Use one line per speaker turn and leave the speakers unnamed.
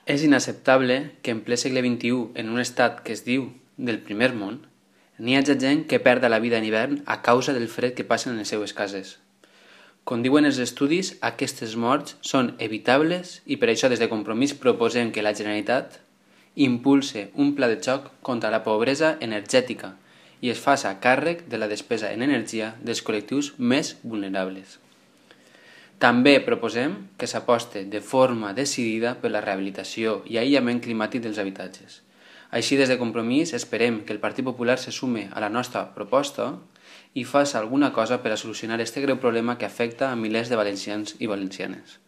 És inacceptable que en ple segle XXI, en un estat que es diu del primer món, n'hi hagi gent que perda la vida en hivern a causa del fred que passen en les seues cases. Com diuen els estudis, aquestes morts són evitables i per això des de Compromís proposem que la Generalitat impulse un pla de xoc contra la pobresa energètica i es faci càrrec de la despesa en energia dels col·lectius més vulnerables. També proposem que s'aposte de forma decidida per la rehabilitació i aïllament climàtic dels habitatges. Així, des de Compromís, esperem que el Partit Popular se sume a la nostra proposta i faci alguna cosa per a solucionar aquest greu problema que afecta a milers de valencians i valencianes.